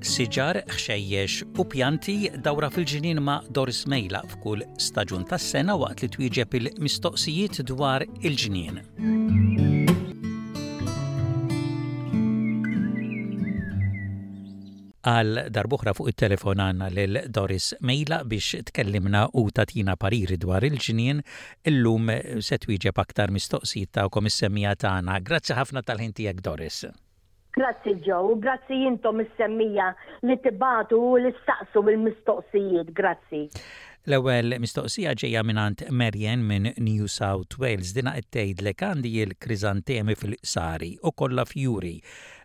Siġar, ħxejjex u pjanti dawra fil-ġnien ma' Doris Mejla f'kull staġun tas-sena waqt li twieġeb il-mistoqsijiet dwar il-ġnien. Għal darb'oħra fuq it-telefon għandna lil Doris Mejla biex tkellimna u tagħtina pariri dwar il-ġnien. Illum se twieġeb aktar mistoqsijiet tagħkom is-semmiegħa tagħna. Grazzi ħafna tal-ħin tiegħek Doris. Grazzi Joe, u grazzi intom is-semmiegħa li tibagħtu u li ssaqsu l-mistoqsijiet. Grazzi. L-ewwel mistoqsija ġejja mingħand Marianne minn New South Wales. Dinha qed tgħidlek għandi l-kriżantemi fil-qsari u kollha fjuri.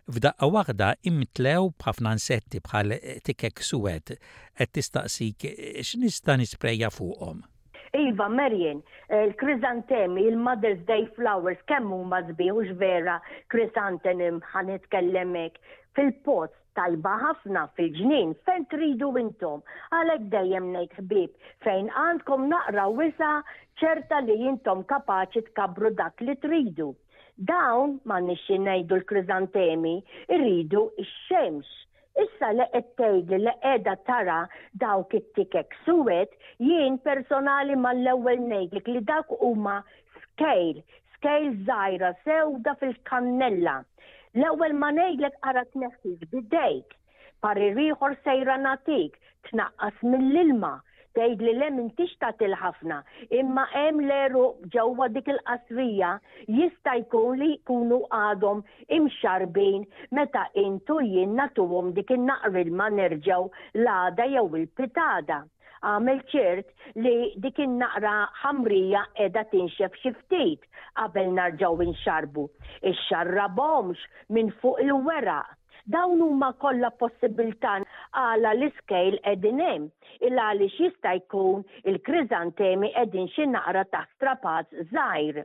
F'daqqa waħda imtlew b'ħafna insetti bħal tikek suwed. Qed tistaqsik x'nista' nisprejja fuqhom. Iva, Marian, il-kriżantemi, il-Mother's Day flowers, kemm huma sbieħ hux vera chrysanthemum ħa nitkellem hekk, fil-pots tajba ħafna fil-ġnien fejn tridu intom. Għalhekk dejjem ngħid ħbieb fejn għandkom naqra wisa' ċerta li intom kapaċi tkabbru dak li tridu. Dawn, m'għandniex xi ngħidu l-kriżantemi, iridu x-xemx. Issa li qed tgħidli li qiegħda tara dawk it-tikek suwed, jien personali mal-ewwel ngħidlek li dawk huma scale, scale żgħira sewda fil-kannella. L-ewwel ma ngħidlek ara tneħħix b'idejk. Parir ieħor sejra nagħtik, tnaqqas mill-ilma. Tgħidli le m'intix tagħtil ħafna, imma hemm l-għeruq ġewwa dik il-qasrija jista' jkun li jkunu għadhom imxarrbin meta int u jien nagħtuhom dik in-naqra ilma nerġgħu l-għada jew il-pitgħada. Agħmel ċert li dik in-naqra ħamrija qiegħda tinxef xi ftit qabel narġgħu nxarrbu. Ixxarrabhomx minn fuq il-weraq. Dawn huma kollha possibiltà għala l-iskejl qegħdin hemm, il għaliex jista' jkun il-kriżantemi qegħdin xi naqra taħt strapazz żgħir.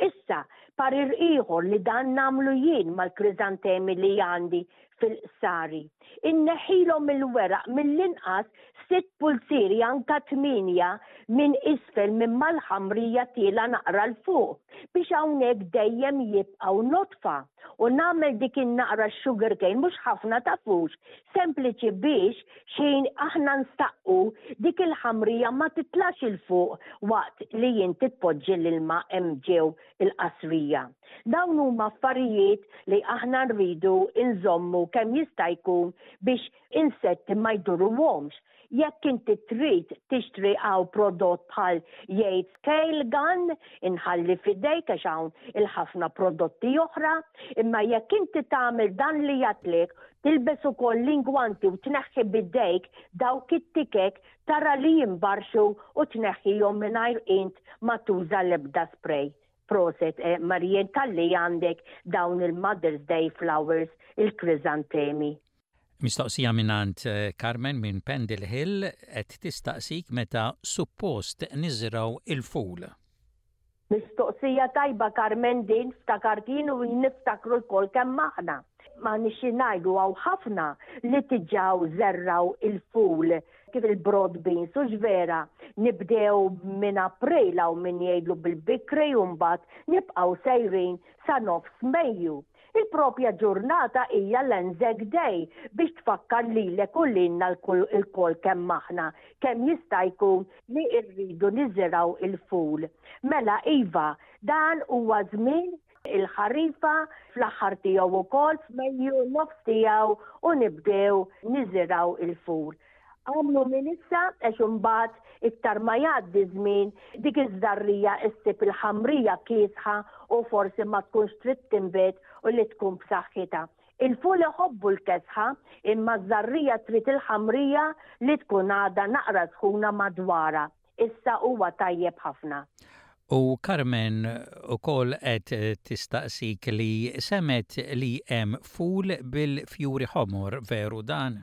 Issa, parir ieħor li dan nagħmlu jien mal-kriżantemi li għandi fil-qsari. Inneħħilhom il-weraq mill-inqas sitt pulzieri anka tmienja minn isfel minn mal-ħamrija tiela' naqra 'l fuq biex hawnhekk dejjem jibqgħu nodfa. U nagħmel dik in-naqra sugar cane mhux ħafna tafux, sempliċi biex x'ħin aħna nstaqqu dik il-ħamrija ma titlax 'il fuq waqt li inti tpoġġi l-ilma hemm ġew il-qasrija. Dawn huma affarijiet li aħna rridu nżommu kemm jista' jkun biex insetti ma jduruhomx. Jekk inti trid tixtri hawn prodott bħal Yates Scale Gun, inħalli f'idejk għax hawn il-ħafna prodotti oħra, imma jekk inti tagħmel dan li għedtlek, tilbes ukoll l-ingwanti u tneħħi b'idejk dawk it-tikek tara li jimbarxu u tneħħihom mingħajr int ma tuża l-ebda spray. Proset eh, Marian talli għandek dawn il-Mother's Day flowers, il-krizantemi. Mistoqsija mingħand eh, Carmen minn Pendle Hill qed tistaqsik meta suppost niżraw il-ful. Mistoqsija tajba Carmen din ftakart jien u niftakru lkoll kemm aħna. Ma nixi ngħidu hawn ħafna li tiġaw żerraw il-ful kif il-broad beans u vera nibdew minn April hawn min jgħidlu bil-bikri u mbagħad nibqgħu sejrin sa nofs Mejju. Il-propja ġurnata hija l-Anzac Day biex tfakkar lilek u lilna lkoll kemm aħna kemm jista' jkun li rridu niżirgħu il-ful. Mela iva, dan huwa żmien il-ħarifa fl-aħħar tiegħu wkoll f'Mejju nofs tiegħu u nibdew niżirgħu il-ful. Agħmlu minn issa għax imbagħad iktar ma jgħaddi żmien dik iż-żarrija issib il-ħamrija kiesħa u forsi ma tkunx trid tinbet u li tkun b'saħħitha. Il-ful iħobbu l-kesħa imma ż-żarrija trid il-ħamrija li tkun għadha naqra sħuna madwarha. Issa huwa tajjeb ħafna. U Carmen ukoll qed tistaqsik li semgħet li hemm ful bil-fjuri ħomor, veru dan?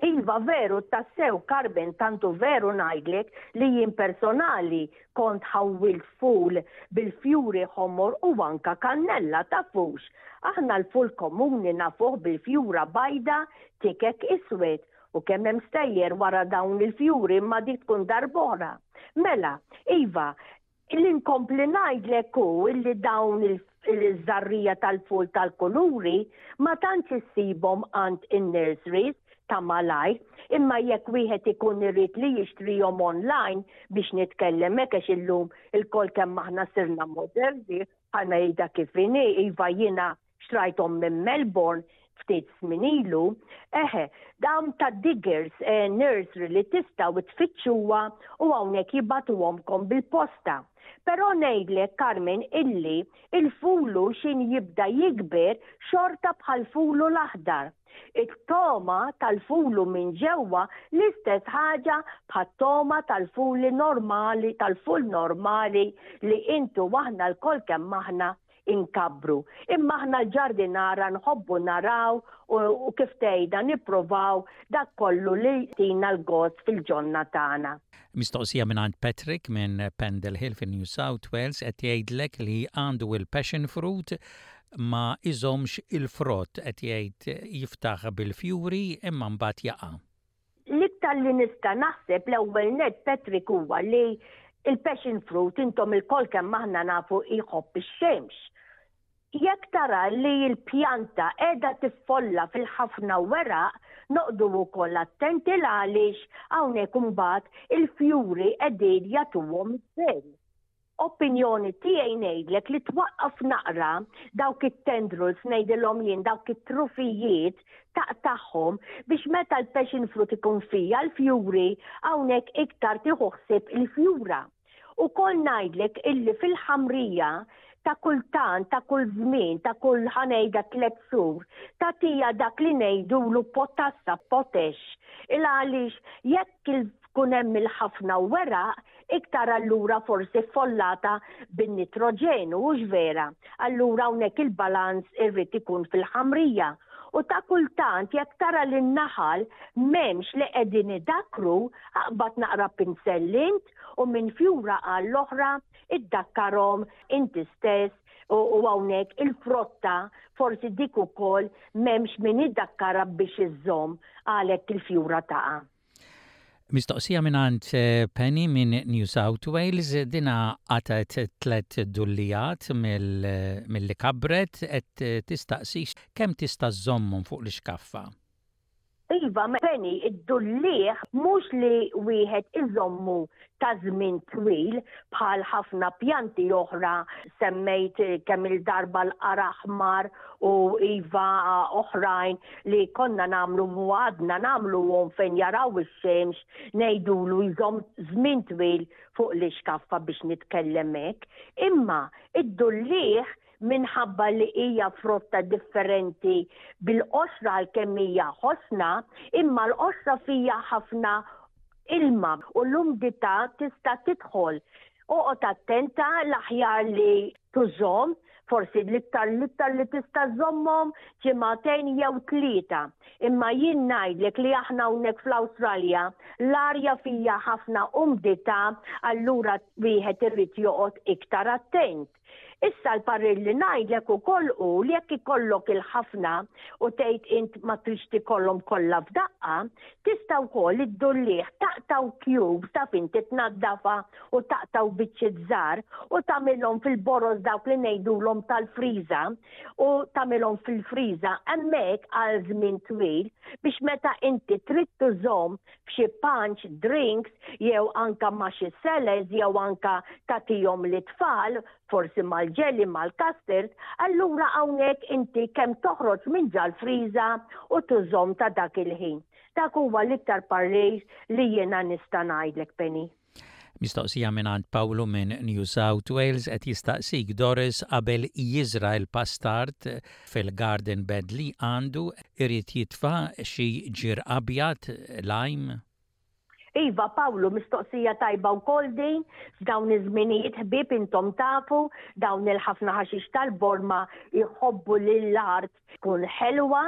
Iva veru tassew Carmen tant hu veru ngħidlek li jien personali kont ħawwilt ful bil-fjuri ħomor u anka kannella tafux. Aħna l-ful komuni nafuh bil-fjura bajda tikek iswed u kemm hemm stejjer wara dawn il-fjuri imma dik tkun darb'oħra. Mela, iva, Li nkompli ngħidlek hu illi dawn il-żarrija tal-ful tal-kuluri ma tantx issibhom għand in-nurseries. ta' malajr, imma jekk wieħed ikun irid li jixtrihom online biex nitkellem hekk għax illum ilkoll kemm aħna sirna moderni bħalma jgħidha kif inhi, iva jiena xtrajthom minn Melbourne ftit żmien ilu, eħe, dawn ta' Diggers eh, Nursery li tistgħu tfittxuha u hawnhekk jibatuhomkom bil-posta. Però ngħidlek Carmen illi il-fulu xin jibda jikber xorta bħal fulu l-aħdar. It-toma tal-fulu minn ġewwa l-istess ħaġa bħat-toma tal-fuli normali, tal-ful normali li intu aħna lkoll kemm aħna inkabbru. Imma aħna l-ġardinara nħobbu naraw u kif tgħidha nipprovaw dak kollu li jtina l-gost fil-ġonna tagħna. Mistoqsija mingħand Patrick minn Pendle Hill fi New South Wales qed jgħidlek li għandu il-passion fruit ma iżommx il-frott qed jgħid jiftaħ bil-fjuri imma mbagħad jaqa'. L-iktar li nista' naħseb l-ewwel nett Patrick huwa li il-passion fruit intom ilkoll kemm aħna nafu jħobb ix-xemx. Jekk tara li l-pjanta qiegħda tiffolla fil-ħafna weraq, noqogħdu wkoll attenti l-għaliex hawnhekk imbagħad il-fjuri qegħdin jagħtuhom iż-żejn. Opinjoni tiegħi ngħidlek li twaqqaf naqra dawk it-tendrils ngħidilhom jien dawk it-trufijiet taqtagħhom biex meta l-passion fruit ikun fija l-fjuri hawnhekk iktar tieħu ħsieb il-fjura. Ukoll ngħidlek illi fil-ħamrija ta' kultant, ta' kull żmien, ta' kull ħanejda tlet xhur, tagħtija dak li ngħidulu potassa, potash. Il għaliex jekk tkun hemm il-ħafna weraq, iktar allura forsi ffollata bin-nitroġenu, hux vera? Allura hawnhekk il-balanz irrid ikun fil-ħamrija. U ta' kultant jekk tara li n-naħal m'hemmx li qegħdin idakkru, aqbad naqra pinsell int u minn fjura għall-oħra iddakkarhom inti stess u hawnhekk il-frotta forsi dik ukoll m'hemmx min idakkara biex iżżomm għalhekk il-fjura taqa'. Mistoqsija mingħand eh, Penny minn New South Wales, dina qatgħet tlet dullijat mill-li kabret qed tistaqsi kemm tista' żżommhom fuq l-ixkaffa. Iva, Penny, id-dulliegħ mhux li wieħed iżommu ta' żmien twil bħal ħafna pjanti oħra semmejt kemm il-darba l-qara aħmar u iva oħrajn li konna nagħmlu u għadna nagħmluhom fejn jaraw ix-xemx ngħidulu jżomm żmien twil fuq l-ixkaffa biex nitkellem hekk. Imma id-dulliegħ minħabba li hija frotta differenti bil-qoxra għalkemm hija ħosna, imma l-qoxra fija ħafna ilma u l-umdità tista' tidħol. Oqgħod attenta l-aħjar li tużhom, forsi l-iktar l-iktar li tista' żommhom ġimagħtejn jew tlieta. Imma jien ngħidlek li aħna hawnhekk fl-Awstralja l-arja fija ħafna umdità allura wieħed irid joqgħod iktar attent. Issa l-parir li ngħidlek ukoll hu li jekk ikollok il-ħafna u tgħid int ma tridx tikollhom kollha f'daqqa, tista' wkoll iddullieh taqtgħu cubes taf inti tnaddafha u taqtgħu biċċiet żgħar u tagħmilhom fil-boroż dawk li ngħidulhom tal-friża u tagħmilhom fil-friża hemmhekk għal żmien twil biex meta inti trid tużhom f'xi punch, drinks, jew anka ma' xi salads jew anka tagħtihom lit-tfal, forsi mal-jelly, mal-custard, allura hawnhekk inti kemm toħroġ minn ġal-friża u tużhom ta' dak il-ħin. Dak huwa l-iktar parir li jiena nista' ngħidlek Penny. Mistoqsija mingħand Pawlu minn New South Wales qed jistaqsik Doris qabel jiżra' l-pastard fil-garden bed li għandu irid jitfa' xi ġir abjad, lime? Iva Pawlu, mistoqsija tajba wkoll din, f'dawn iż-żminijiet ħbieb intom tafu dawn il-ħafna ħaxix tal-borma jħobbu lill-art tkun ħelwa,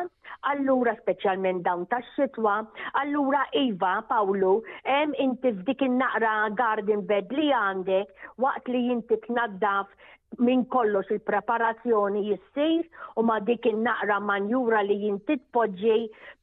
allura speċjalment dawn tax-xitwa, allura iva Pawlu, hemm inti f'dik in-naqra garden bed li għandek waqt li inti tnaddaf minn kollox il-preparazzjoni jissir u ma dik in-naqra manjura li inti tpoġġi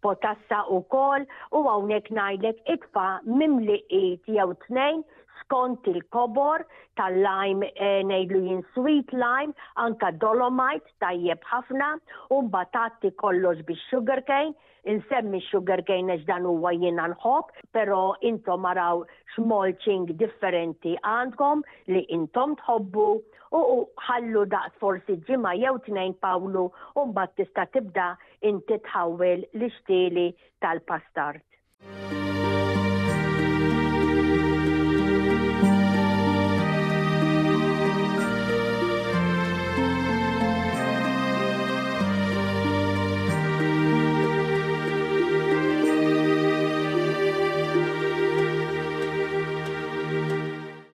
potassa wkoll u hawnhekk ngħidlek itfa' mimli id jew tnejn. skont il-kobor tal-lime eh, ngħidlu jien sweet lime, anka dolomite tajjeb ħafna, u mbagħad tgħatti kollox bix-sugar cane, insemmi sugar cane għax dan huwa jiena nħobb, però intom araw x'mulching differenti għandkom li intom tħobbu u ħallu daqs forsi ġimgħa jew tnejn Pawlu u mbagħad tista' tibda inti tħawwel l-ixtieli tal-pastard.